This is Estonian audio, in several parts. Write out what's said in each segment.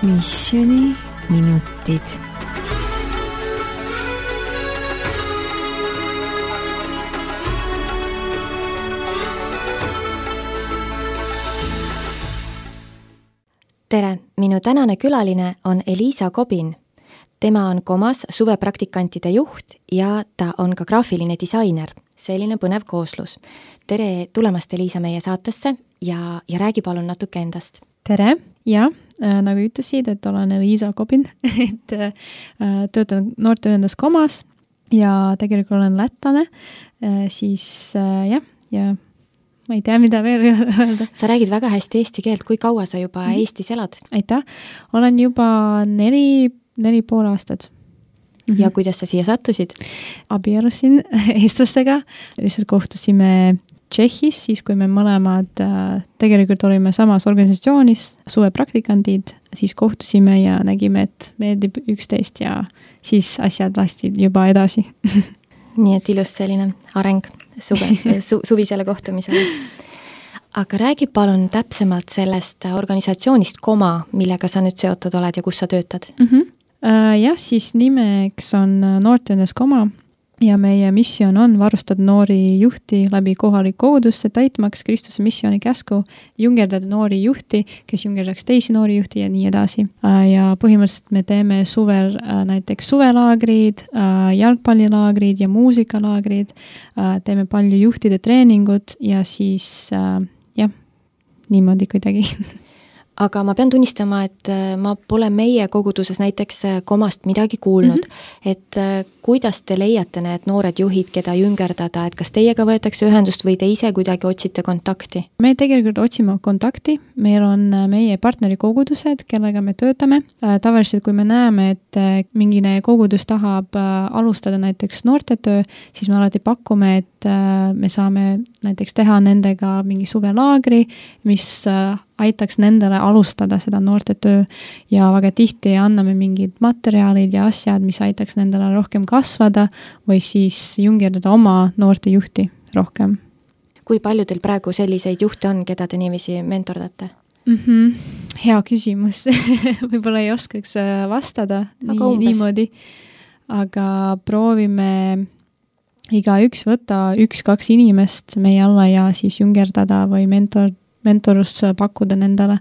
Missioni minutid. Tere, minu tänane külaline on Elisa Kobin. Tema on Komas suvepraktikantide juht ja ta on ka graafiline disainer. Selline põnev kooslus. Tere tulemast, Elisa, meie saatesse ja räägi palun natuke endast. Tere, ja nagu ütlesid, et olen Elisa Kobin, et töötan noorteühendas Komas ja tegelikult olen lätlane, siis ja ma ei tea, mida veel öelda. Sa räägid väga hästi eesti keelt. Kui kaua sa juba Eestis elad? Aitäh. Olen juba 4,5 aastat. Ja kuidas sa siia sattusid? Abielusin eestlastega. Lihtsalt kohtusime Tšehhis, siis kui me mõlemad tegelikult olime samas organisatsioonis, suvepraktikandid, siis kohtusime ja nägime, et meeldib üksteist ja siis asjad lastid juba edasi. Nii et ilus selline areng suvisele kohtumisele. Aga räägi palun täpsemalt sellest organisatsioonist Koma, millega sa nüüd seotud oled ja kus sa töötad? Jah, siis nimeks on noorteühendas Koma ja meie missioon on varustada noori juhti läbi kohalik kogudusse, täitmaks Kristuse missiooni käsku, jungerdada noori juhti, kes jungerdaks teisi noori juhti ja nii edasi. Ja põhimõtteliselt me teeme suvel näiteks suvelaagrid, jalgpallilaagrid ja muusikalaagrid, teeme palju juhtide treeningut ja siis niimoodi kuidagi. Aga ma pean tunnistama, et ma pole meie koguduses näiteks Komast midagi kuulnud, et kuidas te leiate need noored juhid, keda jüngerdada, et kas teiega võetakse ühendust või te ise kuidagi otsite kontakti? Me tegelikult otsime kontakti, meil on meie partnerikogudused, kellega me töötame. Tavaliselt, kui me näeme, et mingine kogudus tahab alustada näiteks noortetöö, siis me alati pakume, et me saame näiteks teha nendega mingi suvelaagri, mis aitaks nendele alustada seda noortetöö ja väga tihti anname mingid materjalid ja asjad, mis aitaks nendele rohkem kasvada või siis jungerdada oma noortejuhti rohkem. Kui palju teil praegu selliseid juhte on, keda te niiviisi mentordate? Hea küsimus. Võib-olla ei oskaks vastada niimoodi, aga proovime igaüks võtta 1-2 inimest meie alla ja siis jungerdada või mentorust pakkuda nendele.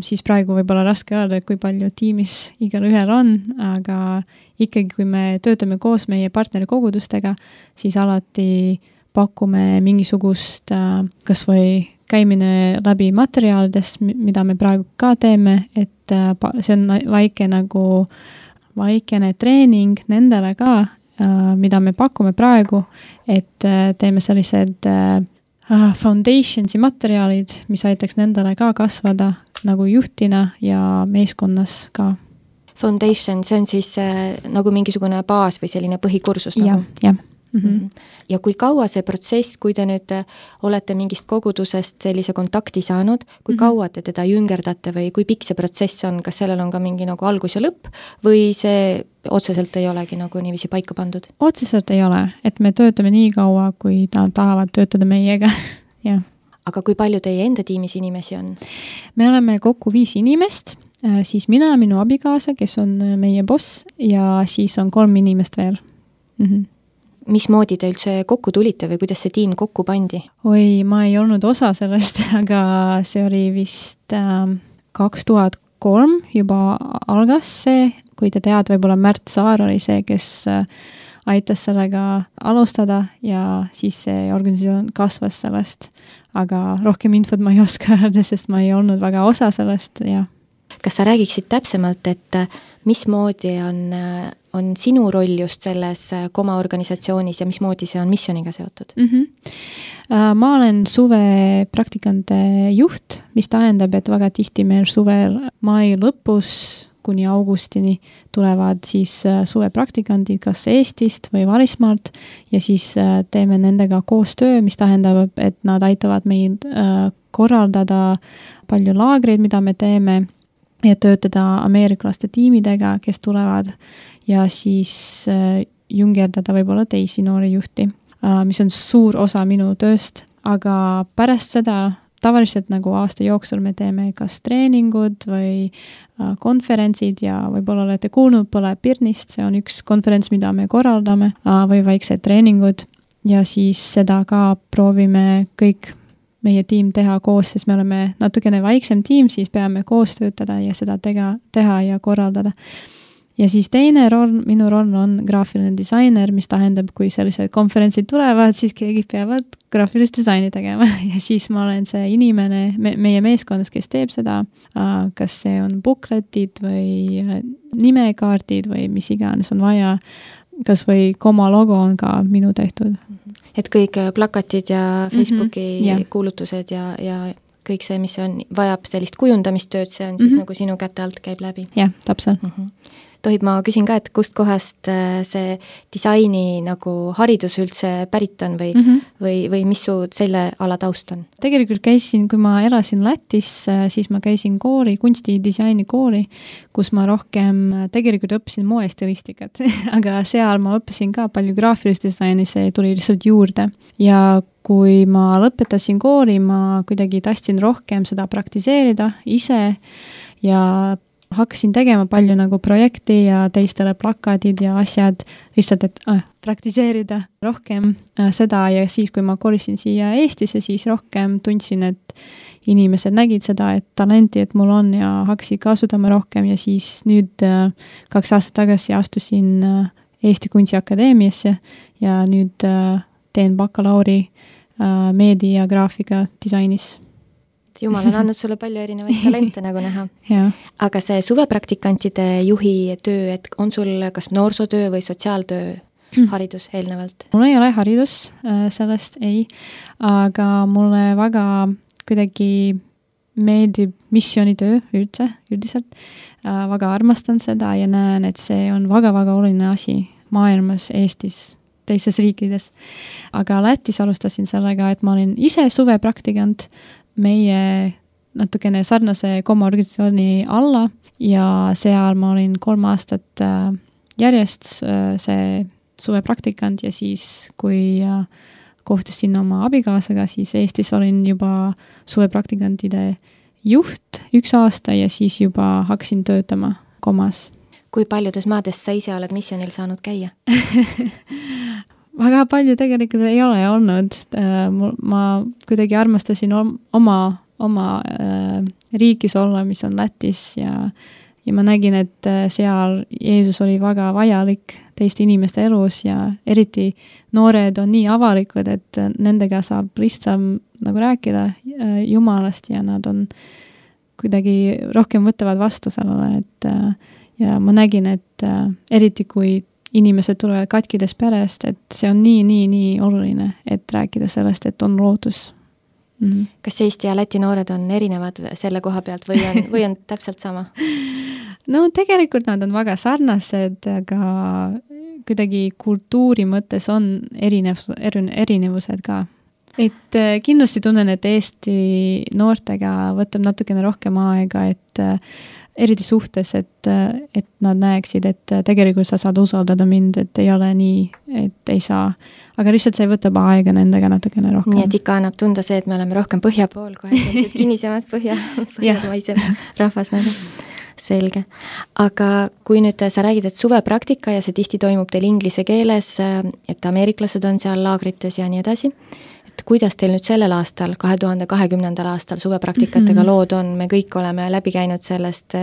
Siis praegu võib-olla raske öelda, kui palju tiimis igal ühel on, aga ikkagi, kui me töötame koos meie partnerikogudustega, siis alati pakume mingisugust kas või käimine läbi materjalidest, mida me praegu ka teeme, et see on vaikene treening nendele ka, mida me pakume praegu, et teeme sellised foundationsi materjalid, mis aitaks nendele ka kasvada nagu juhtina ja meeskonnas ka. Foundation, see on siis nagu mingisugune baas või selline põhikursus? Jah. Ja kui kaua see protsess, kui te nüüd olete mingist kogudusest sellise kontakti saanud, kui kaua te teda jüngerdate või kui pikk see protsess on, kas sellel on ka mingi nagu algus ja lõpp või see otseselt ei olegi nagu niiviisi paika pandud? Otseselt ei ole, et me töötame nii kaua, kui nad tahavad töötada meiega. Ja. Aga kui palju teie enda tiimis inimesi on? Me oleme kokku 5 inimest, siis mina, minu abikaasa, kes on meie boss ja siis on 3 inimest veel. Mismoodi te üldse kokku tulite või kuidas see tiim kokku pandi? Oi, ma ei olnud osa sellest, aga see oli vist 2003 juba algas see, kui te tead, võib-olla Märt Saar oli see, kes aitas sellega alustada ja siis see organisatsioon kasvas sellest. Aga rohkem infot ma ei oska öelda, sest ma ei olnud väga osa sellest, jah. Kas sa räägiksid täpsemalt, et mismoodi on sinu roll just selles Koma organisatsioonis ja mismoodi see on missiooniga seotud? Ma olen suvepraktikante juht, mis tähendab, et väga tihti meil suvel mai lõpus kuni augustini tulevad siis suvepraktikandid kas Eestist või Varismaalt ja siis teeme nendega koostöö, mis tähendab, et nad aitavad meid korraldada palju laagreid, mida me teeme ja töötada ameeriklaste tiimidega, kes tulevad ja siis jungerdada võib-olla teisi noori juhti, mis on suur osa minu tööst, aga pärast seda tavaliselt nagu aasta jooksul me teeme kas treeningud või konverentsid ja võib-olla olete kuulnud, pole Pirnist, see on üks konverents, mida me korraldame või väiksed treeningud ja siis seda ka proovime kõik meie tiim teha koos, sest me oleme natukene väiksem tiim, siis peame koos töötada ja seda teha ja korraldada. Ja siis teine roll, minu roll on graafiline disainer, mis tähendab, kui sellised konverentsid tulevad, siis keegi peavad graafilist disaini tegema ja siis ma olen see inimene meie meeskonnas, kes teeb seda, kas see on bukletid või nimekaardid või mis iganes on vaja, kas või Koma logo on ka minu tehtud. Et kõik plakatid ja Facebooki kuulutused ja kõik see, mis vajab sellist kujundamistööd, see on siis nagu sinu käte alt käib läbi. Jah, täpselt. Tohib, ma küsin ka, et kust kohast see disaini nagu haridus üldse pärit on või mis su selle ala taust on? Tegelikult käisin, kui ma elasin Lätis, siis ma käisin kooli, kunstidisaini kooli, kus ma rohkem tegelikult õppisin moestilistikat, aga seal ma õppisin ka palju graafilist disaini, see tuli lihtsalt juurde. Ja kui ma lõpetasin kooli, ma kuidagi tahtsin rohkem seda praktiseerida ise ja hakkasin tegema palju nagu projekti ja teistele plakatid ja asjad, lihtsalt, et praktiseerida rohkem seda ja siis, kui ma kolisin siia Eestisse, siis rohkem tundsin, et inimesed nägid seda, et talenti, et mul on ja hakkasid kasutama rohkem ja siis nüüd 2 aastat tagasi astusin Eesti Kunstiakadeemiasse ja nüüd teen bakalauri meedia ja graafika disainis. Jumal on andnud sulle palju erinevaid talente nagu näha. Aga see suvepraktikantide juhi töö, et on sul kas noorsootöö või sotsiaaltöö haridus eelnevalt? Mul ei ole haridus, sellest ei, aga mulle väga kuidagi meeldib missioonitöö üldiselt. Väga armastan seda ja näen, et see on väga-väga oluline asi maailmas, Eestis, teistes riikides. Aga Lätis alustasin sellega, et ma olin ise suvepraktikant meie natukene sarnase Koma organisatsiooni alla ja seal ma olin 3 aastat järjest see suvepraktikant ja siis, kui kohtusin oma abikaasaga, siis Eestis olin juba suvepraktikantide juht 1 aasta ja siis juba hakkasin töötama Komas. Kui paljudes maades sa ise oled missionil saanud käia? Väga palju tegelikult ei ole olnud. Ma kuidagi armastasin oma riigis olla, mis on Lätis ja ma nägin, et seal Jeesus oli väga vajalik teiste inimeste elus ja eriti noored on nii avalikud, et nendega saab lihtsam nagu rääkida Jumalast ja nad on kuidagi rohkem võtavad vastu sellele, et ja ma nägin, et eriti kui inimesed tulevad katkides perest, et see on nii oluline, et rääkida sellest, et on lootus. Kas Eesti ja Läti noored on erinevad selle koha pealt või on täpselt sama? No tegelikult nad on väga sarnased, aga kuidagi kultuuri mõttes on erinevused ka. Et kindlasti tunnen, et Eesti noortega võtab natukene rohkem aega, et eriti suhtes, et nad näeksid, et tegelikult sa saad usaldada mind, et ei ole nii, et ei saa. Aga lihtsalt see võtab aega nendega natukene rohkem. Nii, et ikka annab tunda see, et me oleme rohkem põhja pool, kohe sellised kinnisemad põhjamaisem rahvas nagu. Selge. Aga kui nüüd sa räägid, et suvepraktika ja see tihti toimub teil inglise keeles, et ameeriklased on seal laagrites ja nii edasi, et kuidas teil nüüd sellel aastal, 2020. aastal suvepraktikatega lood on, me kõik oleme läbi käinud sellest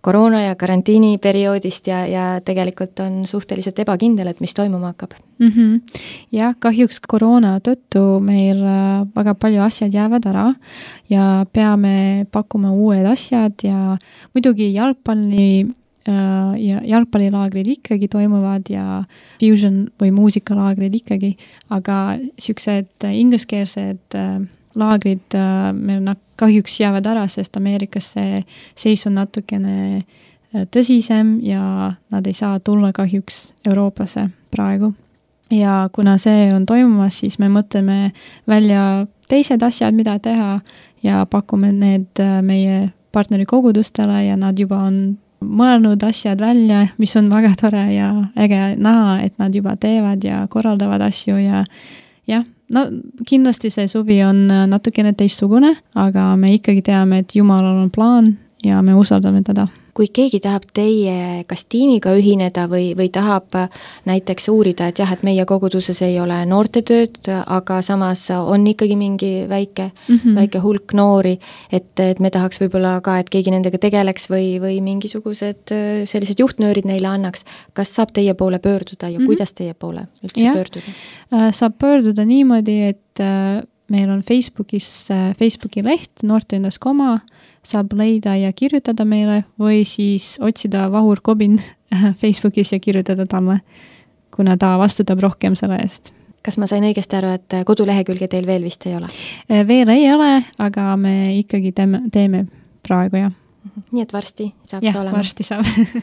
koroona ja karantiini perioodist ja tegelikult on suhteliselt ebakindel, et mis toimuma hakkab. Jah, kahjuks koroona tõttu meil väga palju asjad jäävad ära ja peame pakkuma uued asjad ja muidugi jalgpallilaagrid ikkagi toimuvad ja fusion või muusikalaagrid ikkagi, aga siuksed ingliskeelsed laagrid meil kahjuks jäävad ära, sest Ameerikas see seis on natukene tõsisem ja nad ei saa tulla kahjuks Euroopasse praegu. Ja kuna see on toimumas, siis me mõtleme välja teised asjad, mida teha ja pakume need meie partnerikogudustele ja nad juba on mõelnud asjad välja, mis on väga tore ja äge näha, et nad juba teevad ja korraldavad asju ja jah, no kindlasti see suvi on natukene teistsugune, aga me ikkagi teame, et Jumalal on plaan ja me usaldame teda. Kui keegi tahab teie kas tiimiga ühineda või tahab näiteks uurida, et jah, et meie koguduses ei ole noortetööd, aga samas on ikkagi mingi väike hulk noori, et me tahaks võib-olla ka, et keegi nendega tegeleks või mingisugused sellised juhtnöörid neile annaks. Kas saab teie poole pöörduda ja kuidas teie poole üldse pöörduda? Saab pöörduda niimoodi, et meil on Facebooki leht Noorteühendus Koma, saab leida ja kirjutada meile või siis otsida Vahur Kobin Facebookis ja kirjutada talle, kuna ta vastutab rohkem selle eest. Kas ma sain õigesti aru, et kodulehekülge teil veel vist ei ole? Veel ei ole, aga me ikkagi teeme praegu, jah. Nii et varsti saab see olema? Jah, varsti saab.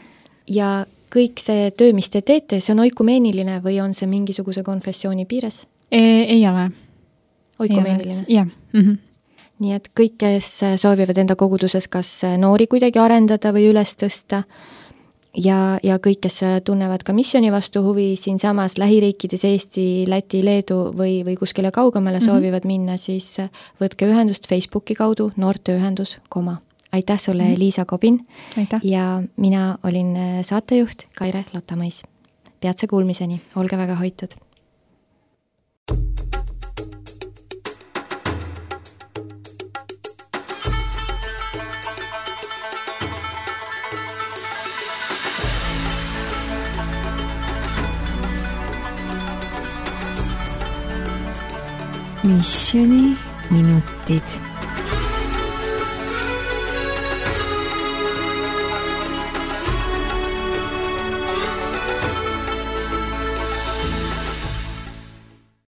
Ja kõik see töö, mis te teete, see on oikumeeniline või on see mingisuguse konfessiooni piires? Ei ole. Oikumeeniline? Jah. Nii et kõik, kes soovivad enda koguduses kas noori kuidagi arendada või üles tõsta ja kõik, kes tunnevad ka missiooni vastu huvi siin samas lähiriikides Eesti, Läti, Leedu või kuskile kaugemale soovivad minna, siis võtke ühendust Facebooki kaudu Noorteühendus Koma. Aitäh sulle, Liisa Kobin. Aitäh. Ja mina olin saatejuht Kaire Lotamõis. Peatse kuulmiseni, olge väga hoitud. Missioni minutid.